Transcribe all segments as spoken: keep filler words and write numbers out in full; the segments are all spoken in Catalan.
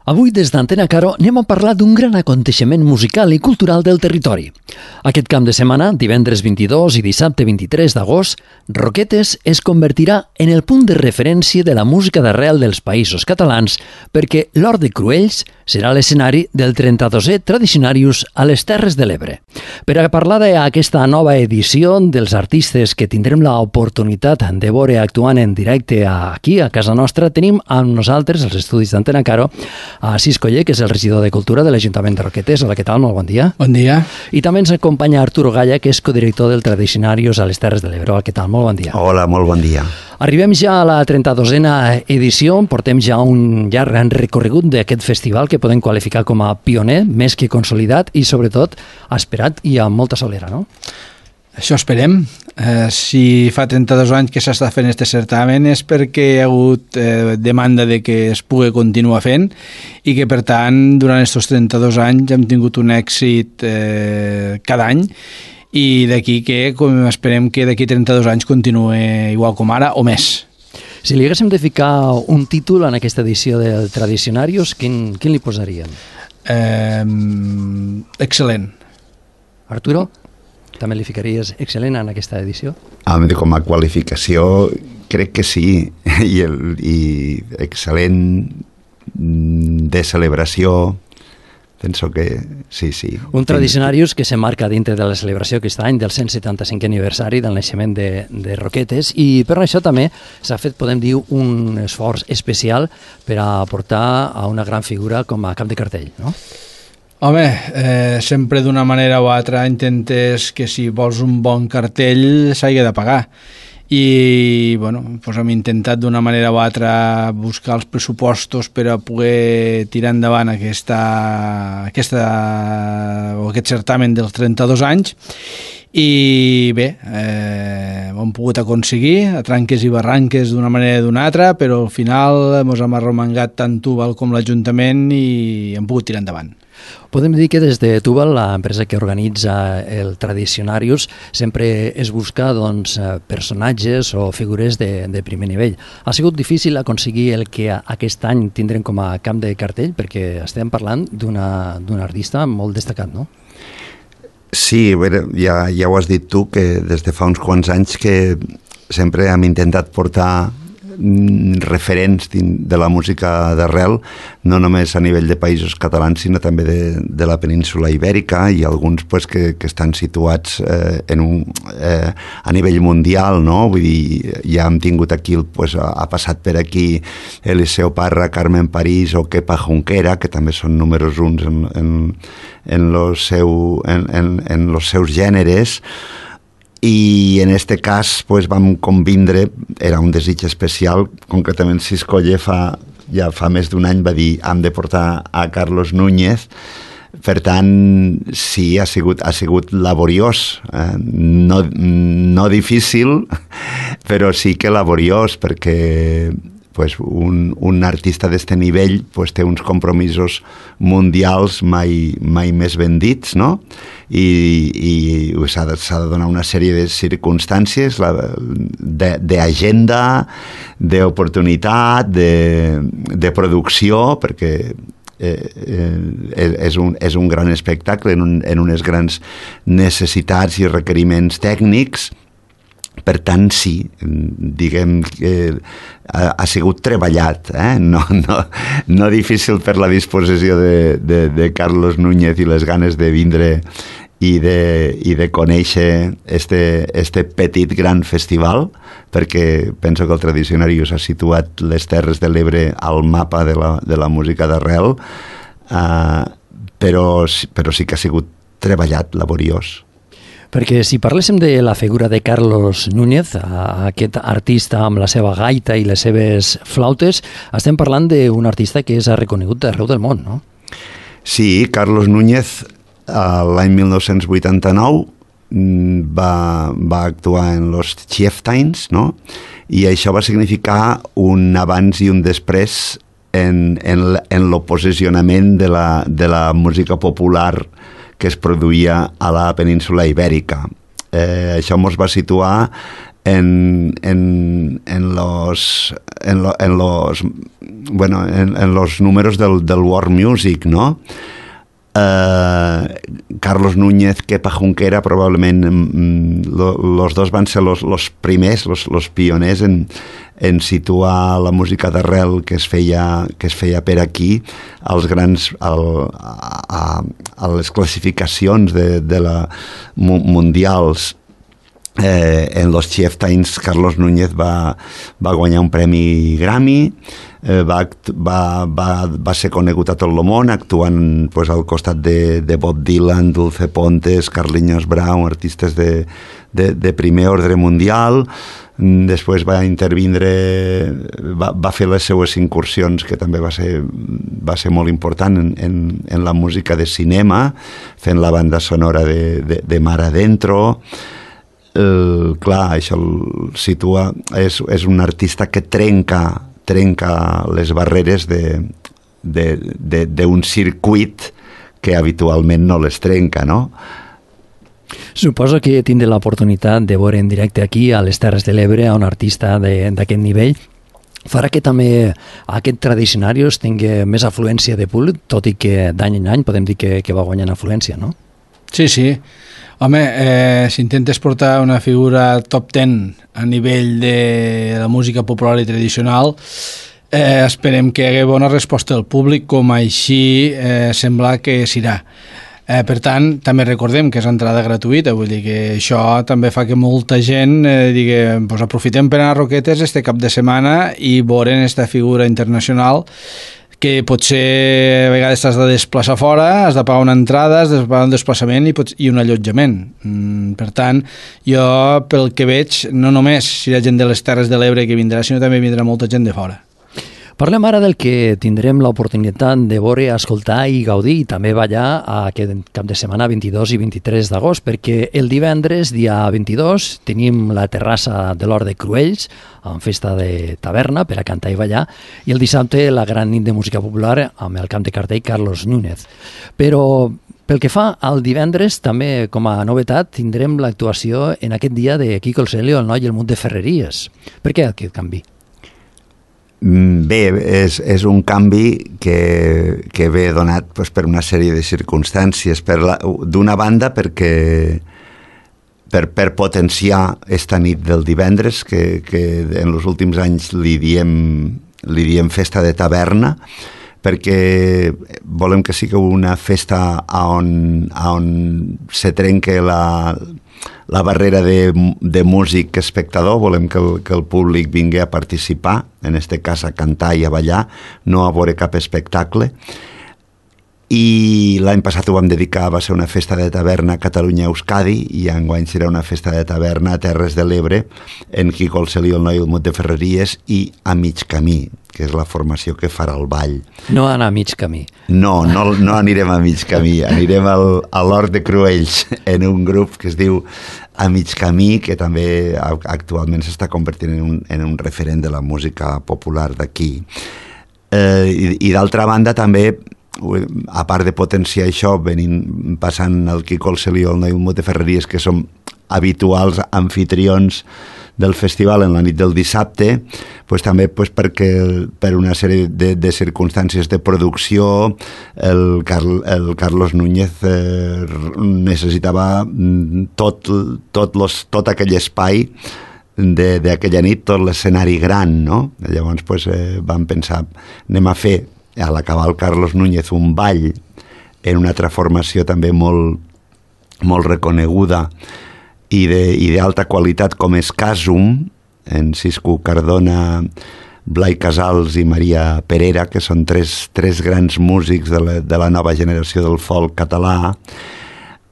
Avui, des d'Antena Caro, anem a parlar d'un gran aconteixement musical i cultural del territori. Aquest camp de setmana, divendres vint-i-dos i dissabte vint-i-tres d'agost, Roquetes es convertirà en el punt de referència de la música d'arrel dels països catalans perquè l'Hort de Cruells serà l'escenari del trenta-dosè Tradicionarius a les Terres de l'Ebre. Per a parlar d'aquesta nova edició dels artistes que tindrem l'oportunitat de veure actuant en directe aquí, a casa nostra, tenim amb nosaltres, als estudis d'Antena Caro, a Sis Coller, que és el regidor de Cultura de l'Ajuntament de Roquetes. Hola, què tal? Molt bon dia. Bon dia. I també ens acompanya Arturo Galla, que és codirector del Tradicionarius a les Terres de l'Ebre. Hola, què tal? Molt bon dia. Hola, molt bon dia. Arribem ja a la trenta-dosena edició, portem ja un llarg recorregut d'aquest festival que podem qualificar com a pioner, més que consolidat i, sobretot, esperat i amb molta solera, no? Això esperem. Eh, si fa trenta-dos anys que s'està fent aquest certamen és perquè hi ha hagut eh, demanda de que es pugui continuar fent i que, per tant, durant aquests trenta-dos anys hem tingut un èxit eh, cada any i d'aquí que com esperem que d'aquí trenta-dos anys continuï igual com ara o més. Si li haguéssim de ficar un títol en aquesta edició del Tradicionarius, quin, quin li posaríem? Eh, excel·lent. Arturo? També li ficaries excel·lent en aquesta edició? Com a qualificació crec que sí, i, el, i excel·lent de celebració, penso que sí, sí. Un Tradicionarius que se marca dintre de la celebració aquest any del cent setanta-cinquè aniversari del naixement de, de Roquetes, i per això també s'ha fet, podem dir, un esforç especial per a portar a una gran figura com a cap de cartell, no? Home, eh, sempre d'una manera o altra intentes que si vols un bon cartell s'hagi de pagar. I bueno, doncs hem intentat d'una manera o altra buscar els pressupostos per a poder tirar endavant aquesta, aquesta, o aquest certamen dels trenta-dos anys. I bé, eh, ho hem pogut aconseguir a tranques i barranques d'una manera o d'una altra, però al final ens hem arromangat tant Tubal com l'Ajuntament i hem pogut tirar endavant. Podem dir que des de Tubal, l'empresa que organitza el Tradicionarius, sempre es busca doncs, personatges o figures de, de primer nivell. Ha sigut difícil aconseguir el que aquest any tindrem com a camp de cartell, perquè estem parlant d'una d'un artista molt destacat, no? Sí, bé, ja, ja ho has dit tu, que des de fa uns quants anys que sempre hem intentat portar referents de la música d'arrel, no només a nivell de països catalans, sinó també de, de la península ibèrica, i alguns pues, que, que estan situats eh, en un, eh, a nivell mundial, no? Vull dir, ja hem tingut aquí, pues, ha, ha passat per aquí Eliseo Parra, Carmen París o Kepa Junquera, que també són números uns en, en, en, los seu, en, en, en los seus gèneres. I en este cas pues, vam convindre, era un desig especial, concretament Sis Coller fa, ja fa més d'un any va dir hem de portar a Carlos Núñez. Per tant, sí, ha sigut, ha sigut laboriós, eh? no, no difícil, però sí que laboriós, perquè pues, un, un artista d'este nivell pues, té uns compromisos mundials mai, mai més ben dits, no? i, i s'ha de, s'ha de donar una sèrie de circumstàncies d'agenda, d'oportunitat, de, de producció, perquè eh, eh, és, un, és un gran espectacle en, un, en unes grans necessitats i requeriments tècnics. Per tant, sí, diguem que ha, ha sigut treballat, eh? no, no, no difícil per la disposició de, de, de Carlos Núñez i les ganes de vindre i de, i de conèixer este, este petit gran festival, perquè penso que el Tradicionarius ha situat les Terres de l'Ebre al mapa de la, de la música d'arrel, eh, però, però sí que ha sigut treballat, laboriós. Perquè si parléssim de la figura de Carlos Núñez, aquest artista amb la seva gaita i les seves flautes, estem parlant d'un artista que és reconegut arreu del món, no? Sí, Carlos Núñez l'any mil nou-cents vuitanta-nou va, va actuar en los Chieftains, no? I això va significar un abans i un després en, en, en el posicionament de la, de la música popular que es produïa a la península ibèrica. Eh, això ens va situar en, en, en los en, lo, en los bueno en, en los números del, del World Music, ¿no? Uh, Carlos Núñez, Kepa Junquera, probablement mm, lo, los dos van ser los, los primers, los, los pioners en, en situar la música d'arrel que es feia, que es feia per aquí als grans, al, a, a les classificacions de, de la mundials. Eh, en los Chieftains Carlos Núñez va, va guanyar un premi Grammy, eh, va, va, va, va ser conegut a tot el món actuant pues, al costat de, de Bob Dylan, Dulce Pontes, Carlinhos Brown, artistes de, de, de primer ordre mundial. Després va intervindre, va, va fer les seues incursions, que també va ser, va ser molt important en, en, en la música de cinema, fent la banda sonora de, de, de Mar Adentro. Uh, clar, això el situa, és, és un artista que trenca, trenca les barreres d'un circuit que habitualment no les trenca, no? Suposo que tindré l'oportunitat de veure en directe aquí a les Terres de l'Ebre a un artista d'aquest nivell. Farà que també aquest Tradicionarios tingui més afluència de públic, tot i que d'any en any podem dir que, que va guanyant afluència, no? Sí, sí. Home, eh, si intentes portar una figura top ten a nivell de la música popular i tradicional, eh, esperem que hi hagi bona resposta del públic, com així eh, sembla que serà. Eh, per tant, també recordem que és entrada gratuïta, vull dir que això també fa que molta gent eh, digui, pues aprofitem per anar a Roquetes este cap de setmana i veurem aquesta figura internacional que potser a vegades t'has de desplaçar fora, has de pagar una entrada, has de pagar un desplaçament i, pots, i un allotjament. Mm, per tant, jo, pel que veig, no només si hi ha gent de les Terres de l'Ebre que vindrà, sinó també vindrà molta gent de fora. Parlem ara del que tindrem l'oportunitat de veure, escoltar i gaudir i també ballar aquest cap de setmana vint-i-dos i vint-i-tres d'agost, perquè el divendres, dia vint-i-dos, tenim la terrassa de l'Hort de Cruells, amb festa de taverna per a cantar i ballar, i el dissabte la gran nit de música popular amb el camp de cartell Carlos Núñez. Però pel que fa al divendres, també com a novetat, tindrem l'actuació en aquest dia de Quico el Celio, el noi i el munt de Ferreries. Per què aquest canvi? Bé, és, és un canvi que, que ve donat pues, per una sèrie de circumstàncies. D'una banda, perquè per, per potenciar esta nit del divendres, que, que en els últims anys li diem, li diem festa de taverna, perquè volem que sigui una festa on, on se trenque la... la barrera de, de músic espectador, volem que el, que el públic vingui a participar, en este cas a cantar i a ballar, no a veure cap espectacle. I l'any passat ho vam dedicar, va ser una festa de taverna a Catalunya-Euskadi, i enguany serà una festa de taverna a Terres de l'Ebre, en Quico el Celio, el noi i el munt de Ferreries, i a mig camí, que és la formació que farà el ball. No anar a mig camí. No, no, no anirem a mig camí, anirem al, a l'Hort de Cruells, en un grup que es diu A Mig Camí, que també actualment s'està convertint en un, en un referent de la música popular d'aquí. Eh, I i d'altra banda també, a part de potenciar això, venint, passant el Quico el Celio, el noi i el munt de Ferreries, que som habituals anfitrions del festival en la nit del dissabte, pues també pues perquè per una sèrie de, de circumstàncies de producció el, Carl, el Carlos Núñez eh, necessitava tot, tot, los, tot aquell espai d'aquella nit, tot l'escenari gran, no? Llavors pues, eh, vam pensar, anem a fer a l'acabar el Carlos Núñez un ball en una altra formació també molt, molt reconeguda i d'alta qualitat com és Casum, en Cisco Cardona, Blai Casals i Maria Perera, que són tres, tres grans músics de la, de la nova generació del folk català.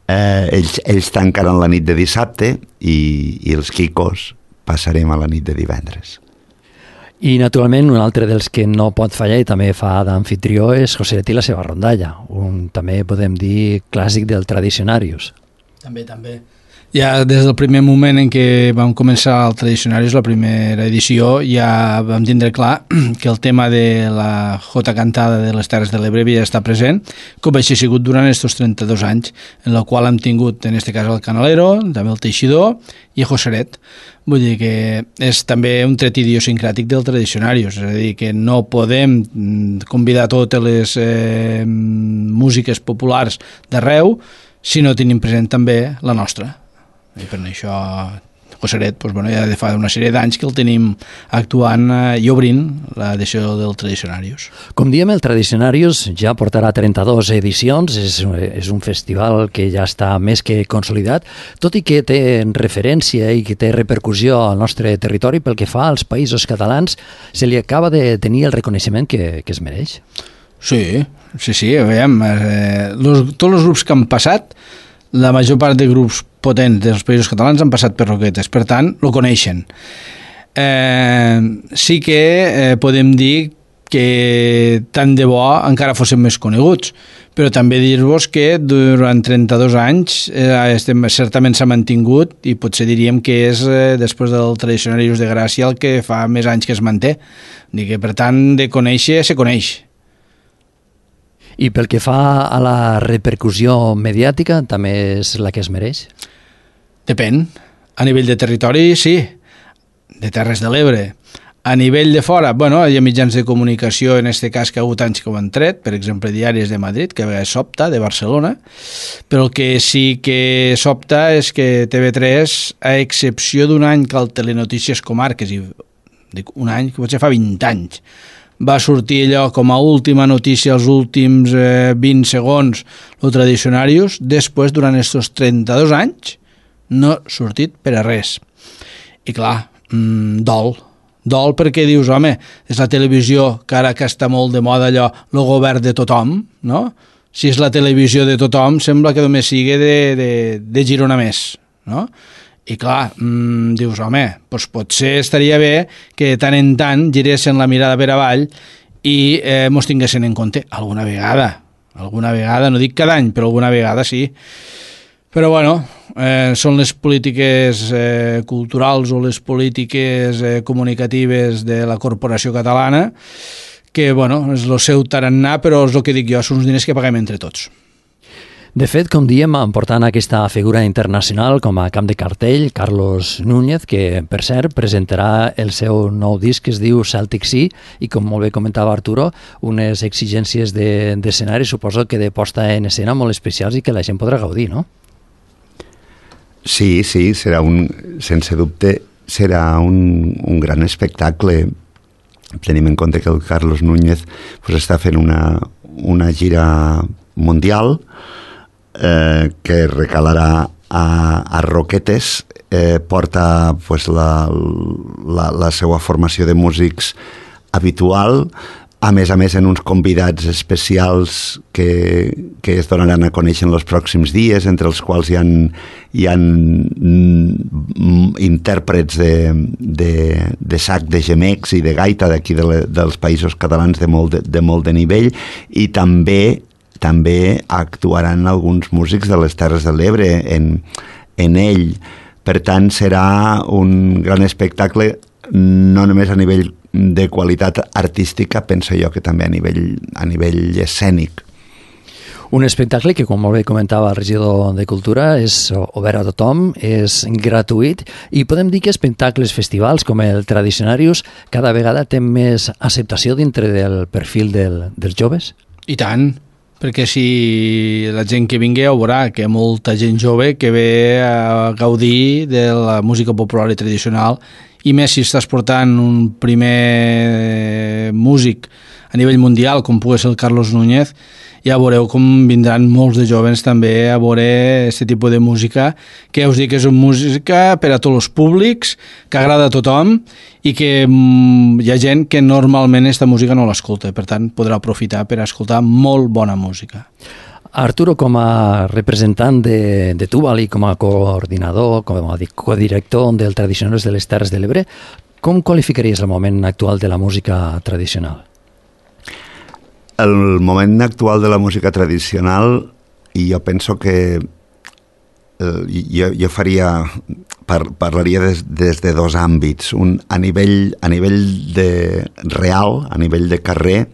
Eh, ells, ells tancaran la nit de dissabte i, i els Quicos passarem a la nit de divendres. I, naturalment, un altre dels que no pot fallar i també fa d'anfitrió és Joselet i la seva rondalla, un també podem dir clàssic del Tradicionarios. També, també. Ja des del primer moment en què vam començar el Tradicionarios, la primera edició, ja vam tindre clar que el tema de la jota cantada de les Terres de l'Ebre havia d'estar present, com així ha sigut durant aquests trenta-dos anys, en el qual hem tingut, en aquest cas, el Canalero, també el Teixidor i el Joseret. Vull dir que és també un tret idiosincràtic del Tradicionarios, és a dir, que no podem convidar totes les eh, músiques populars d'arreu si no tenim present també la nostra. I per això Joseret, doncs, bueno, ja de fa una sèrie d'anys que el tenim actuant eh, i obrint l'edició del Tradicionarios. Com diem, el Tradicionarios ja portarà trenta-dues edicions, és, és un festival que ja està més que consolidat, tot i que té referència i que té repercussió al nostre territori pel que fa als països catalans, se li acaba de tenir el reconeixement que, que es mereix. Sí, sí, sí, veiem, eh, los, tots els grups que han passat, la major part de grups potents dels països catalans han passat per Roquetes, per tant, lo coneixen. Eh, sí que eh, podem dir que tant de bo encara fóssim més coneguts, però també dir-vos que durant trenta-dos anys eh, estem, certament s'ha mantingut i potser diríem que és, eh, després del Tradicionarios de Gràcia, el que fa més anys que es manté. I que, per tant, de conèixer, se coneix. I pel que fa a la repercussió mediàtica, també és la que es mereix? Depèn. A nivell de territori, sí. De Terres de l'Ebre. A nivell de fora, bueno, hi ha mitjans de comunicació, en aquest cas que ha hagut anys que ho han tret, per exemple, Diaris de Madrid, que a vegades s'opta, de Barcelona, però el que sí que s'opta és que T V tres, a excepció d'un any que el Telenotícies Comarques, i dic un any, que potser fa vint anys, va sortir allò com a última notícia els últims eh, vint segons, el Tradicionarios, després, durant aquests trenta-dos anys, no ha sortit per a res. I clar, mmm, dol. Dol perquè dius, home, és la televisió, que ara que està molt de moda allò, el govern de tothom, no? Si és la televisió de tothom, sembla que només sigui de, de, de Girona més, no? I clar, mmm, dius, home, doncs potser estaria bé que de tant en tant giressin la mirada per avall i eh, mos tinguessin en compte alguna vegada. Alguna vegada, no dic cada any, però alguna vegada sí. Però bueno, eh, són les polítiques eh, culturals o les polítiques eh, comunicatives de la corporació catalana que, bueno, és el seu tarannà, però és el que dic jo, són uns diners que paguem entre tots. De fet, com diem, portant aquesta figura internacional com a camp de cartell, Carlos Núñez, que, per cert, presentarà el seu nou disc que es diu Celtic Sea i, com molt bé comentava Arturo, unes exigències d'escenari, de, suposo que de posta en escena molt especials i que la gent podrà gaudir, no? Sí, sí, serà un, sense dubte, serà un, un gran espectacle. Tenim en compte que el Carlos Núñez pues, està fent una, una gira mundial, Eh, que recalarà a, a Roquetes, eh, porta pues, la, la, la seva formació de músics habitual, a més a més en uns convidats especials que, que es donaran a conèixer en els pròxims dies, entre els quals hi ha, hi ha intèrprets de, de, de sac, de gemecs i de gaita d'aquí de le, dels països catalans de molt de, de, molt de nivell, i també també actuaran alguns músics de les Terres de l'Ebre en, en ell. Per tant, serà un gran espectacle, no només a nivell de qualitat artística, penso jo que també a nivell, a nivell escènic. Un espectacle que, com molt bé comentava el regidor de Cultura, és obert a tothom, és gratuït, i podem dir que espectacles, festivals com el Tradicionarios cada vegada té més acceptació dintre del perfil del, dels joves? I tant, perquè si la gent que vingui ho veurà que hi ha molta gent jove que ve a gaudir de la música popular i tradicional, i més si estàs portant un primer músic a nivell mundial com pugui ser el Carlos Núñez, ja veureu com vindran molts de jóvens també a veure aquest tipus de música, que ja us dic que és una música per a tots els públics, que agrada a tothom i que mm, hi ha gent que normalment aquesta música no l'escolta, per tant podrà aprofitar per escoltar molt bona música. Arturo, com a representant de, de Tubal i com a coordinador, com a codirector del Tradicionarios de les Terres de l'Ebre, com qualificaries el moment actual de la música tradicional? El moment actual de la música tradicional, i jo penso que eh, jo, jo faria, par, parlaria des, des de dos àmbits. Un, a nivell, a nivell de real, a nivell de carrer,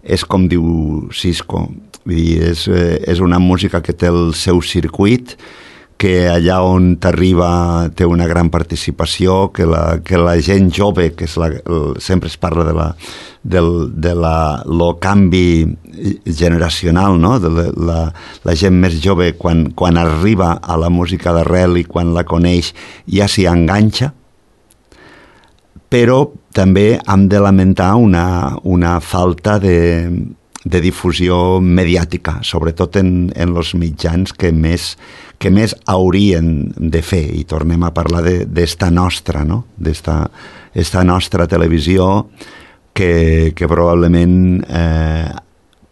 és com diu Cisco, vull dir, és, és una música que té el seu circuit, que allà on t'arriba té una gran participació, que la, que la gent jove, que és la, el, sempre es parla de la, del, de la, lo canvi generacional, no? De la, la, la gent més jove, quan, quan arriba a la música d'arrel i quan la coneix ja s'hi enganxa, però també hem de lamentar una, una falta de, de difusió mediàtica, sobretot en, en els mitjans que més, que més haurien de fer, i tornem a parlar d'esta nostra, no? d'esta esta nostra televisió que, que probablement eh,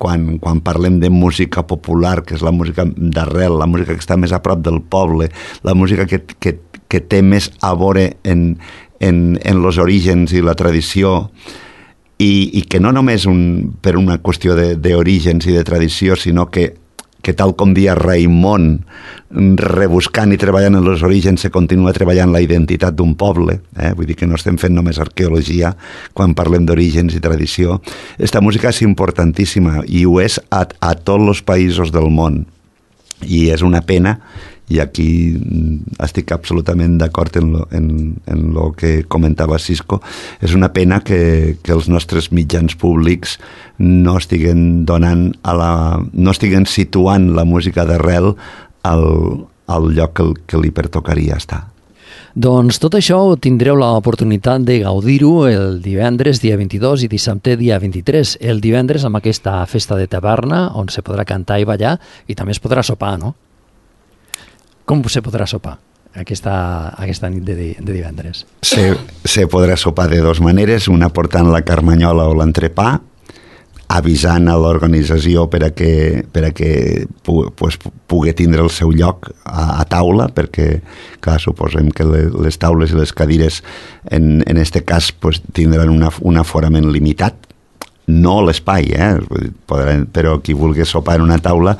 quan, quan parlem de música popular, que és la música d'arrel, la música que està més a prop del poble, la música que, que, que té més a veure en, en, en els orígens i la tradició, i, i que no només un, per una qüestió d'orígens i de tradició, sinó que que tal com dia Raimon, rebuscant i treballant en els orígens, se continua treballant la identitat d'un poble. Eh? Vull dir que no estem fent només arqueologia quan parlem d'orígens i tradició. Esta música és importantíssima i ho és a, a tots els països del món. I és una pena, i aquí estic absolutament d'acord en lo, en, en lo que comentava Cisco, és una pena que, que els nostres mitjans públics no estiguen donant a la, no estiguen situant la música d'arrel al, al lloc que, que li pertocaria estar. Doncs tot això tindreu l'oportunitat de gaudir-ho el divendres dia vint-i-dos i dissabte dia vint-i-tres. El divendres amb aquesta festa de taverna on se podrà cantar i ballar i també es podrà sopar, no? Com se podrà sopar aquesta, aquesta nit de, de divendres? Se, se podrà sopar de dues maneres, una portant la carmanyola o l'entrepà, avisant a l'organització per a que, per a que pu, pues, pugui tindre el seu lloc a, a taula, perquè, clar, suposem que le, les taules i les cadires en, en este cas pues, tindran una, un aforament limitat, no l'espai, eh? Podran, però qui vulgui sopar en una taula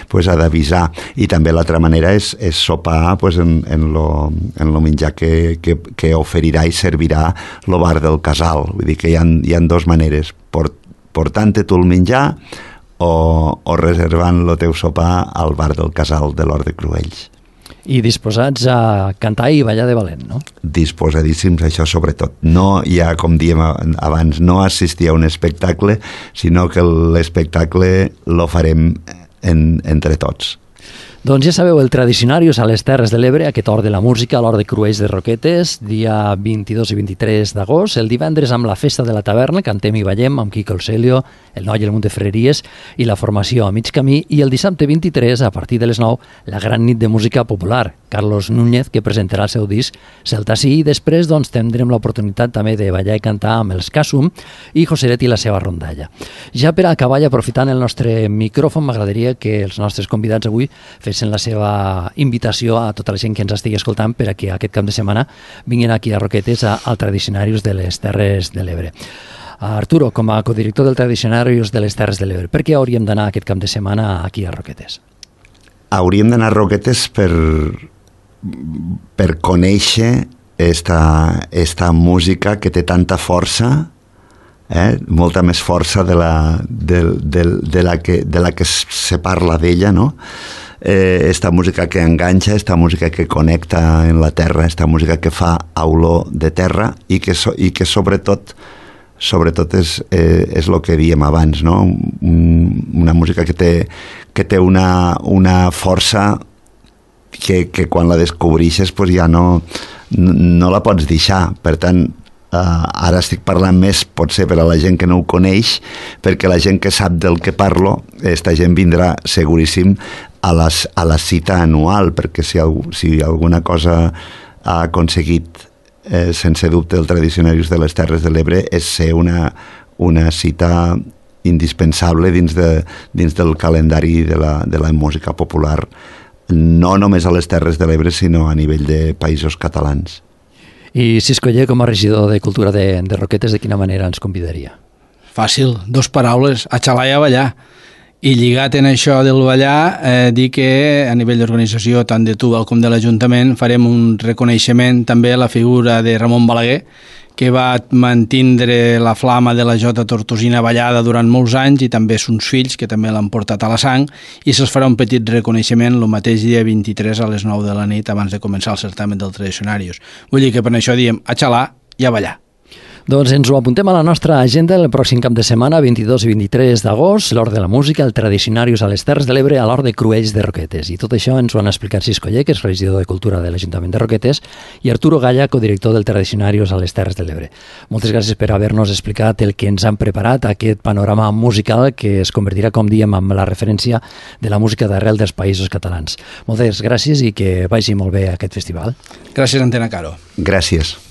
pues, ha d'avisar. I també l'altra manera és, és sopar pues, en, en, lo, en lo menjar que, que, que oferirà i servirà el bar del casal. Vull dir que hi ha, hi ha dues maneres, port, portant-te tu el menjar o, o reservant el teu sopar al bar del casal de l'Hort de Cruells. I disposats a cantar i ballar de valent, no? Disposadíssims, això sobretot. No hi ha, com diem abans, no assistir a un espectacle, sinó que l'espectacle lo farem en, entre tots. Doncs ja sabeu, el Tradicionarius a les Terres de l'Ebre, aquest hort de la música, a l'hort de Cruells de Roquetes, dia vint-i-dos i vint-i-tres d'agost, el divendres amb la festa de la taverna, cantem i ballem amb Quico el Celio, el Noi i el Munt de Ferreries i la formació a mig camí, i el dissabte vint-i-tres, a partir de les nou, la gran nit de música popular, Carlos Núñez, que presentarà el seu disc Celta Sí, i després doncs, tindrem l'oportunitat també de ballar i cantar amb els Casum i Joseret i la seva rondalla. Ja per acabar i aprofitant el nostre micròfon, m'agradaria que els nostres convidats avui fessin la seva invitació a tota la gent que ens estigui escoltant per a que aquest cap de setmana vinguin aquí a Roquetes a, al Tradicionarius de les Terres de l'Ebre. Arturo, com a codirector del Tradicionarius de les Terres de l'Ebre, per què hauríem d'anar aquest cap de setmana aquí a Roquetes? Hauríem d'anar a Roquetes per, per conèixer esta, esta música que té tanta força, eh? molta més força de la, de, de, de la, que, de la que se parla d'ella, no? Eh, esta música que enganxa, esta música que connecta en la terra, esta música que fa olor de terra i que, so, i que sobretot sobretot és, eh, és el que diem abans, no? Un, una música que té, que té una, una força que, que quan la descobreixes pues ja no, no la pots deixar. Per tant, Uh, ara estic parlant més, potser per a la gent que no ho coneix, perquè la gent que sap del que parlo, esta gent vindrà seguríssim a, les, a la cita anual, perquè si, si alguna cosa ha aconseguit eh, sense dubte el Tradicionarius de les Terres de l'Ebre és ser una, una cita indispensable dins, de, dins del calendari de la, de la música popular, no només a les Terres de l'Ebre, sinó a nivell de països catalans. I Cisco Oller, com a regidor de Cultura de, de Roquetes, de quina manera ens convidaria? Fàcil, dos paraules, a xalar i a ballar. I lligat en això del ballar, eh, dir que a nivell d'organització, tant de Tubal com de l'Ajuntament, farem un reconeixement també a la figura de Ramon Balaguer, que va mantindre la flama de la jota tortosina ballada durant molts anys, i també sons fills, que també l'han portat a la sang, i se'ls farà un petit reconeixement el mateix dia vint-i-tres a les nou de la nit abans de començar el certamen del Tradicionarius. Vull dir que per això diem a xalar i a ballar. Doncs ens ho apuntem a la nostra agenda el pròxim cap de setmana, vint-i-dos i vint-i-tres d'agost, l'Hort de la Música, el Tradicionarius a les Terres de l'Ebre, a l'Hort de Cruells de Roquetes. I tot això ens ho han explicat Cisco Lle, que és regidor de Cultura de l'Ajuntament de Roquetes, i Arturo Galla, codirector del Tradicionarius a les Terres de l'Ebre. Moltes gràcies per haver-nos explicat el que ens han preparat, aquest panorama musical que es convertirà, com diem, amb la referència de la música d'arrel dels països catalans. Moltes gràcies i que vagi molt bé aquest festival. Gràcies, Antena Caro. Gràcies.